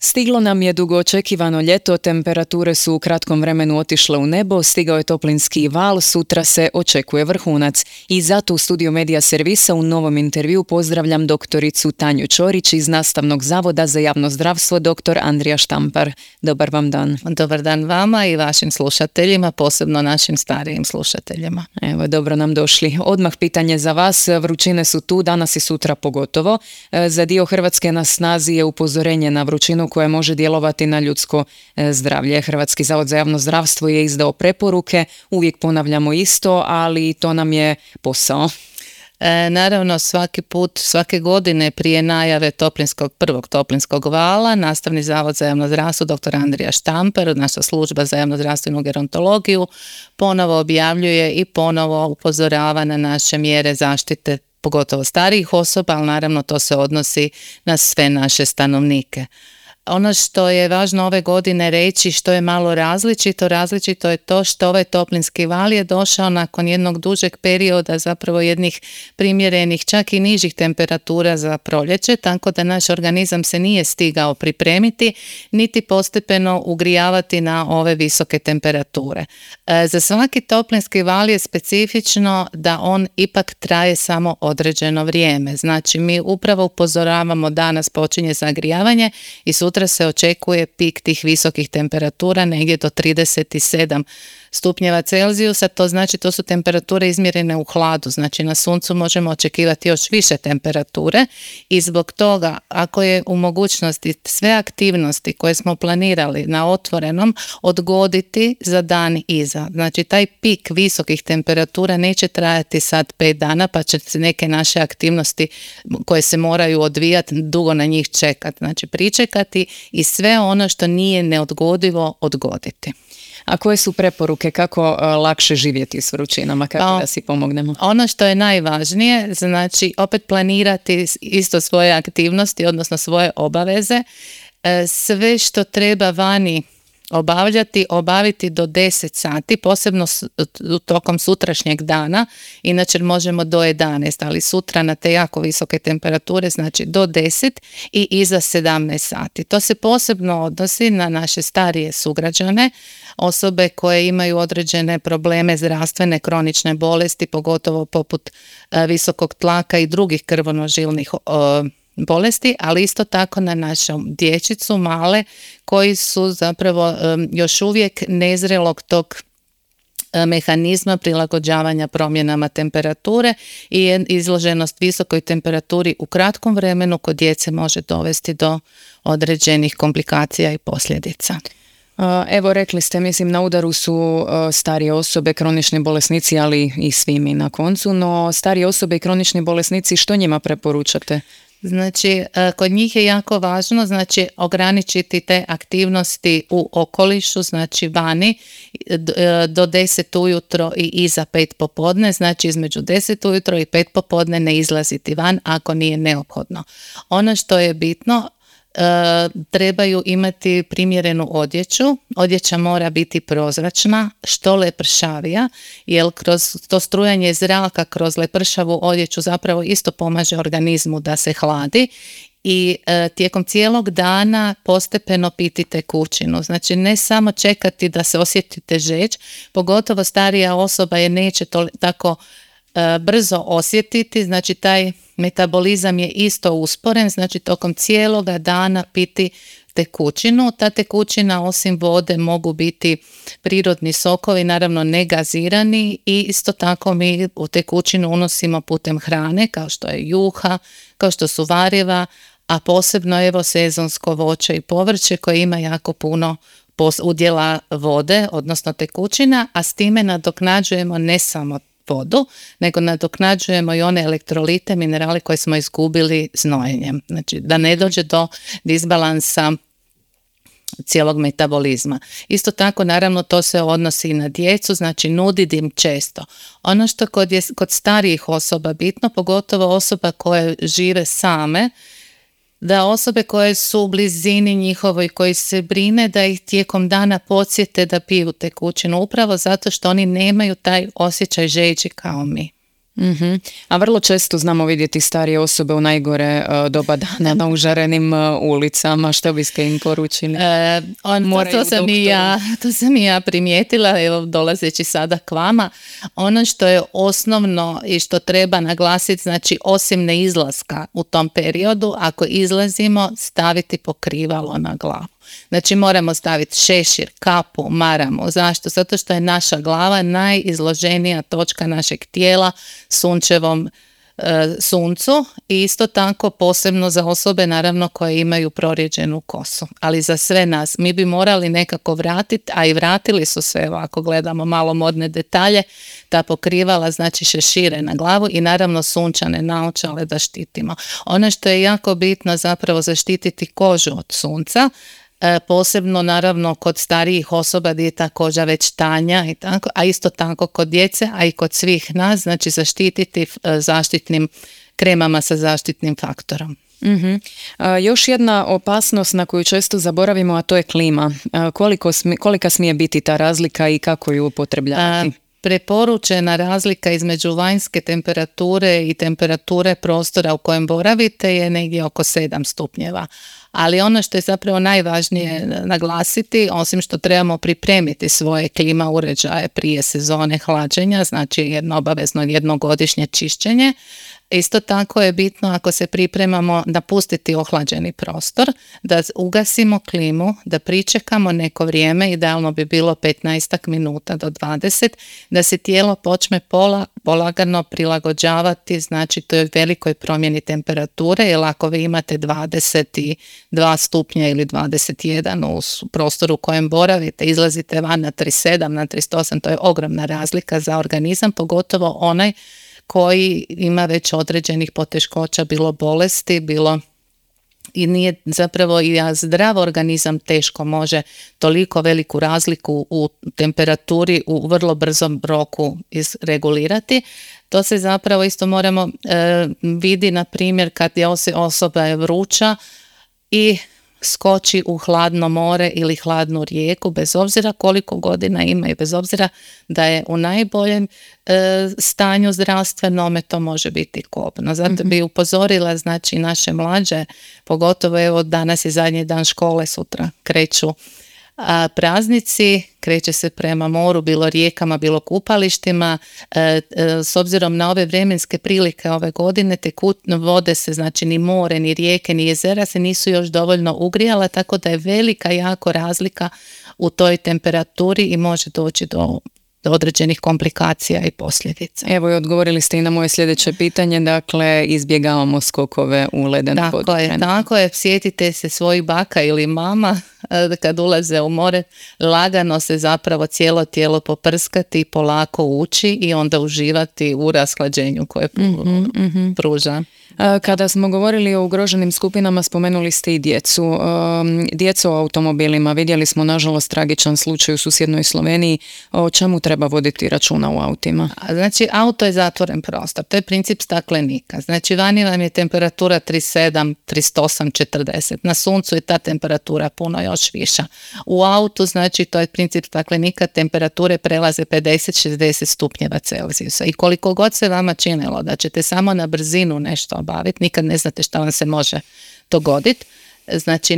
Stiglo nam je dugo očekivano ljeto, temperature su u kratkom vremenu otišle u nebo, stigao je toplinski val, sutra se očekuje vrhunac. I zato u studiju Medija Servisa u novom intervju pozdravljam doktoricu Tanju Ćorić iz Nastavnog zavoda za javno zdravstvo dr. Andrija Štampar. Dobar vam dan. Dobar dan vama i vašim slušateljima, posebno našim starijim slušateljima. Evo, dobro nam došli. Odmah pitanje za vas, vrućine su tu, danas i sutra pogotovo. Za dio Hrvatske na snazi je upozorenje na vrućinu koje može djelovati na ljudsko zdravlje. Hrvatski zavod za javno zdravstvo je izdao preporuke, uvijek ponavljamo isto, ali to nam je posao. Naravno, svaki put, svake godine prije najave prvog toplinskog vala, Nastavni zavod za javno zdravstvo dr. Andrija Štampar, naša služba za javnozdravstvenu gerontologiju, ponovo objavljuje i ponovo upozorava na naše mjere zaštite, pogotovo starijih osoba, ali naravno to se odnosi na sve naše stanovnike. Ono što je važno ove godine reći, što je malo različito je to što ovaj toplinski val je došao nakon jednog dužeg perioda, zapravo jednih primjerenih, čak i nižih temperatura za proljeće, tako da naš organizam se nije stigao pripremiti, niti postepeno ugrijavati na ove visoke temperature. Za svaki toplinski val je specifično da on ipak traje samo određeno vrijeme. Znači, mi upravo upozoravamo danas počinje zagrijavanje i sutra se očekuje pik tih visokih temperatura negdje do 37 stupnjeva Celzijusa, to znači to su temperature izmjerene u hladu, znači na suncu možemo očekivati još više temperature i zbog toga ako je u mogućnosti sve aktivnosti koje smo planirali na otvorenom odgoditi za dan iza. Znači taj pik visokih temperatura neće trajati sad 5 dana pa će se neke naše aktivnosti koje se moraju odvijati dugo na njih čekati. Znači pričekati i sve ono što nije neodgodivo odgoditi. A koje su preporuke kako lakše živjeti s vrućinama, kako da si pomognemo? Ono što je najvažnije, znači opet planirati isto svoje aktivnosti, odnosno svoje obaveze. Sve što treba vani obaviti do 10 sati, posebno tokom sutrašnjeg dana, inače možemo do 11, ali sutra na te jako visoke temperature, znači do 10 i iza 17 sati. To se posebno odnosi na naše starije sugrađane, osobe koje imaju određene probleme zdravstvene, kronične bolesti, pogotovo poput visokog tlaka i drugih krvonožilnih bolesti, ali isto tako na našu dječicu male koji su zapravo još uvijek nezrelog tog mehanizma prilagođavanja promjenama temperature i izloženost visokoj temperaturi u kratkom vremenu kod djece može dovesti do određenih komplikacija i posljedica. Evo, rekli ste, mislim, na udaru su starije osobe, kronični bolesnici, ali i svi mi na koncu, no starije osobe i kronični bolesnici, što njima preporučate? Znači, kod njih je jako važno, znači, ograničiti te aktivnosti u okolišu, znači vani, do 10 ujutro i iza 5 popodne, znači između 10 ujutro i 5 popodne ne izlaziti van ako nije neophodno. Ono što je bitno, trebaju imati primjerenu odjeću. Odjeća mora biti prozračna, što lepršavija, jer kroz to strujanje zraka kroz lepršavu odjeću zapravo isto pomaže organizmu da se hladi i tijekom cijelog dana postepeno piti tekućinu. Znači ne samo čekati da se osjetite žeđ, pogotovo starija osoba je neće tako brzo osjetiti, znači taj metabolizam je isto usporen, znači tokom cijeloga dana piti tekućinu. Ta tekućina osim vode mogu biti prirodni sokovi, naravno ne gazirani, i isto tako mi u tekućinu unosimo putem hrane kao što je juha, kao što su variva, a posebno evo sezonsko voće i povrće koje ima jako puno udjela vode, odnosno tekućina, a s time nadoknađujemo ne samo vodu, nego nadoknađujemo i one elektrolite, minerale koje smo izgubili znojenjem. Znači da ne dođe do disbalansa cijelog metabolizma. Isto tako, naravno, to se odnosi i na djecu, znači nuditi im često. Ono što kod starijih osoba bitno, pogotovo osoba koje žive same, da osobe koje su u blizini njihovoj, koji se brine da ih tijekom dana podsjete da piju tekućinu, upravo zato što oni nemaju taj osjećaj žeđi kao mi. A vrlo često znamo vidjeti starije osobe u najgore doba dana na užarenim ulicama. Što biste im poručili? To sam i ja primijetila, evo dolazeći sada k vama. Ono što je osnovno i što treba naglasiti, znači osim neizlaska u tom periodu, ako izlazimo, staviti pokrivalo na glavu. Znači moramo staviti šešir, kapu, maramu. Zašto? Zato što je naša glava najizloženija točka našeg tijela sunčevom suncu i isto tako posebno za osobe naravno koje imaju prorijeđenu kosu. Ali za sve nas mi bi morali nekako vratiti, a i vratili su se, evo ako gledamo malo modne detalje, ta pokrivala, znači šešire na glavu i naravno sunčane naočale da štitimo. Ono što je jako bitno zapravo zaštititi kožu od sunca, posebno naravno kod starijih osoba gdje je ta koža već tanja i tako, a isto tako kod djece, a i kod svih nas, znači zaštititi zaštitnim kremama sa zaštitnim faktorom. Još jedna opasnost na koju često zaboravimo, a to je klima. Kolika smije biti ta razlika i kako ju upotrebljavati? Preporučena razlika između vanjske temperature i temperature prostora u kojem boravite je negdje oko 7 stupnjeva. Ali ono što je zapravo najvažnije naglasiti, osim što trebamo pripremiti svoje klima uređaje prije sezone hlađenja, znači obavezno jednogodišnje čišćenje, isto tako je bitno ako se pripremamo napustiti ohlađeni prostor, da ugasimo klimu, da pričekamo neko vrijeme, idealno bi bilo 15 minuta do 20, da se tijelo počne polagano prilagođavati, znači toj velikoj promjeni temperature, jer ako vi imate 22 stupnja ili 21 u prostoru u kojem boravite, izlazite van na 37, na 38, to je ogromna razlika za organizam, pogotovo onaj koji ima već određenih poteškoća, bilo bolesti, bilo i nije zapravo i zdrav organizam teško može toliko veliku razliku u temperaturi u vrlo brzom roku izregulirati. To se zapravo isto moramo vidi na primjer kad je osoba je vruća i skoči u hladno more ili hladnu rijeku, bez obzira koliko godina ima i bez obzira da je u najboljem stanju zdravstvenome, to može biti kobno. Zato bi upozorila znači naše mlađe, pogotovo evo danas je zadnji dan škole, sutra kreću praznici, kreće se prema moru, bilo rijekama, bilo kupalištima. S obzirom na ove vremenske prilike ove godine, vode se, znači ni more, ni rijeke, ni jezera se nisu još dovoljno ugrijala, tako da je velika jako razlika u toj temperaturi i može doći do određenih komplikacija i posljedica. Evo i odgovorili ste i na moje sljedeće pitanje, dakle izbjegavamo skokove u leden područje. Tako je, sjetite se svojih baka ili mama kad ulaze u more, lagano se zapravo cijelo tijelo poprskati i polako ući i onda uživati u rashlađenju koje pruža. Kada smo govorili o ugroženim skupinama, spomenuli ste i djecu. Djecu u automobilima, vidjeli smo nažalost tragičan slučaj u susjednoj Sloveniji. O čemu treba voditi računa u autima? Znači, auto je zatvoren prostor, to je princip staklenika. Znači, vani vam je temperatura 37, 38, 40. Na suncu je ta temperatura puno još viša. U autu, znači, to je princip staklenika, temperature prelaze 50-60 stupnjeva Celzijusa. I koliko god se vama činilo da ćete samo na brzinu nešto obaviti, nikad ne znate šta vam se može dogoditi. Znači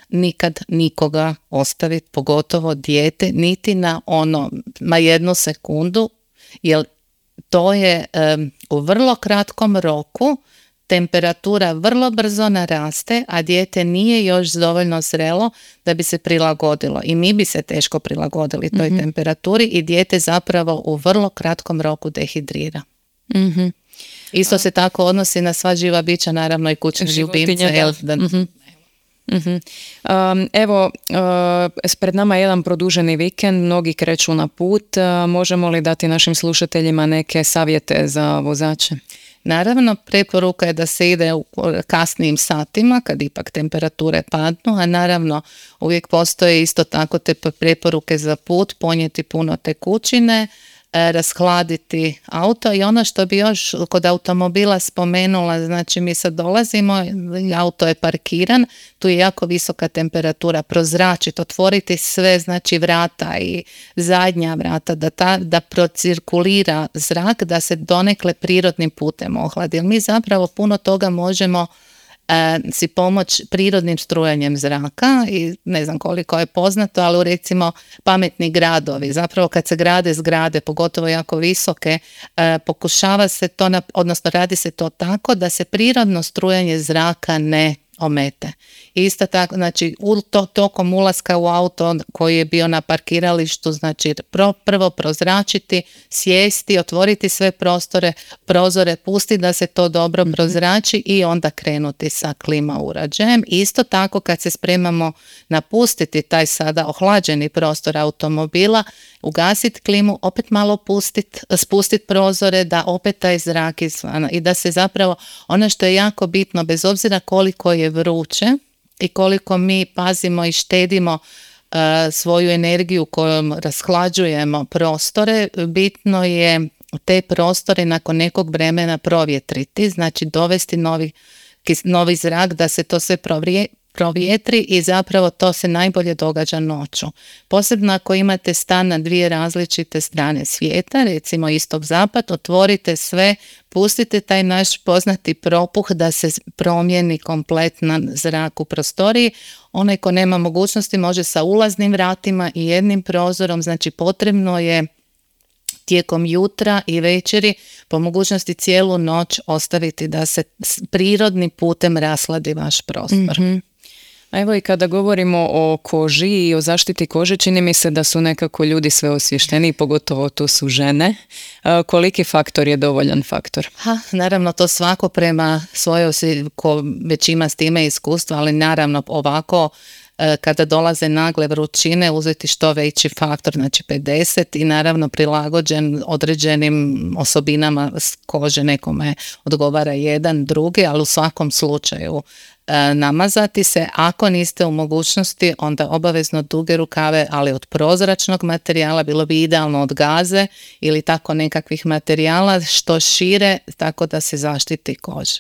nikad nikoga ostaviti, pogotovo dijete, niti na jednu sekundu, jer to je u vrlo kratkom roku temperatura vrlo brzo naraste, a dijete nije još dovoljno zrelo da bi se prilagodilo. I mi bi se teško prilagodili toj temperaturi i dijete zapravo u vrlo kratkom roku dehidrira. Isto se tako odnosi na sva živa bića, naravno i kućne ljubimce. Evo, pred nama je jedan produženi vikend, mnogi kreću na put. Možemo li dati našim slušateljima neke savjete za vozače? Naravno, preporuka je da se ide u kasnijim satima, kad ipak temperature padnu, a naravno uvijek postoje isto tako te preporuke za put, ponijeti puno tekućine, rashladiti auto. I ono što bi još kod automobila spomenula, znači mi sad dolazimo, auto je parkiran, tu je jako visoka temperatura, prozračiti, otvoriti sve, znači vrata i zadnja vrata, da procirkulira zrak, da se donekle prirodnim putem ohladi. Jer mi zapravo puno toga možemo si pomoć prirodnim strujanjem zraka i ne znam koliko je poznato, ali recimo pametni gradovi, zapravo kad se grade zgrade, pogotovo jako visoke, pokušava se to, odnosno radi se to tako da se prirodno strujanje zraka ne omete. Isto tako, znači tokom ulaska u auto koji je bio na parkiralištu, znači prvo prozračiti, sjesti, otvoriti sve prozore, pusti da se to dobro prozrači i onda krenuti sa klima uređajem. Isto tako kad se spremamo napustiti taj sada ohlađeni prostor automobila, ugasiti klimu, opet malo spustiti prozore da opet taj zrak izvana i da se zapravo, ono što je jako bitno, bez obzira koliko je vruće i koliko mi pazimo i štedimo svoju energiju kojom rashlađujemo prostore, bitno je te prostore nakon nekog vremena provjetriti, znači dovesti novi zrak da se to sve provjetri i zapravo to se najbolje događa noću. Posebno ako imate stan na dvije različite strane svijeta, recimo istok-zapad, otvorite sve, pustite taj naš poznati propuh da se promijeni kompletan zrak u prostoriji. Onaj ko nema mogućnosti može sa ulaznim vratima i jednim prozorom, znači potrebno je tijekom jutra i večeri po mogućnosti cijelu noć ostaviti da se prirodnim putem rasladi vaš prostor. Mm-hmm. A evo i kada govorimo o koži i o zaštiti kože, čini mi se da su nekako ljudi sve osvješteni, pogotovo to su žene. Koliki faktor je dovoljan faktor? Naravno, to svako prema svojoj, ko već ima s time iskustva, ali naravno ovako kada dolaze nagle vrućine uzeti što veći faktor, znači 50 i naravno prilagođen određenim osobinama kože, nekome odgovara jedan, drugi, ali u svakom slučaju namazati se. Ako niste u mogućnosti, onda obavezno duge rukave, ali od prozračnog materijala, bilo bi idealno od gaze ili tako nekakvih materijala što šire, tako da se zaštiti koža.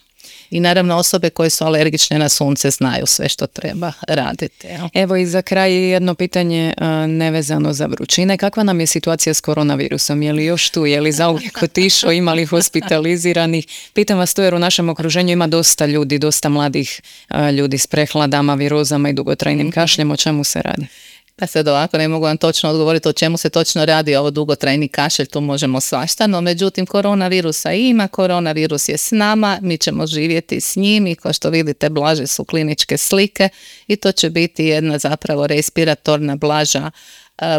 I naravno osobe koje su alergične na sunce znaju sve što treba raditi. Evo i za kraj jedno pitanje nevezano za vrućine. Kakva nam je situacija s koronavirusom? Je li još tu? Je li zauvijek otišao? Ima li hospitaliziranih? Pitam vas to jer u našem okruženju ima dosta ljudi, dosta mladih ljudi s prehladama, virozama i dugotrajnim kašljem. O čemu se radi? Pa sad ovako ne mogu vam točno odgovoriti o čemu se točno radi ovo dugotrajni kašelj, tu možemo svašta, no međutim koronavirusa ima, koronavirus je s nama, mi ćemo živjeti s njim i kao što vidite blaže su kliničke slike i to će biti jedna zapravo respiratorna blaža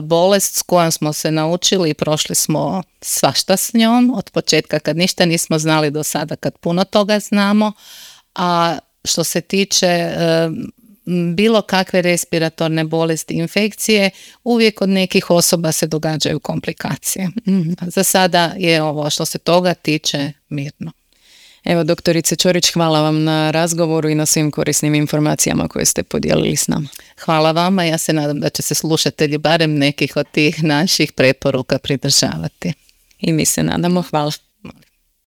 bolest s kojom smo se naučili i prošli smo svašta s njom od početka kad ništa nismo znali do sada kad puno toga znamo, a što se tiče bilo kakve respiratorne bolesti, infekcije, uvijek kod nekih osoba se događaju komplikacije. Za sada je ovo što se toga tiče mirno. Evo, doktorice Ćorić, hvala vam na razgovoru i na svim korisnim informacijama koje ste podijelili s nama. Hvala vama, ja se nadam da će se slušatelji barem nekih od tih naših preporuka pridržavati. I mi se nadamo, hvala.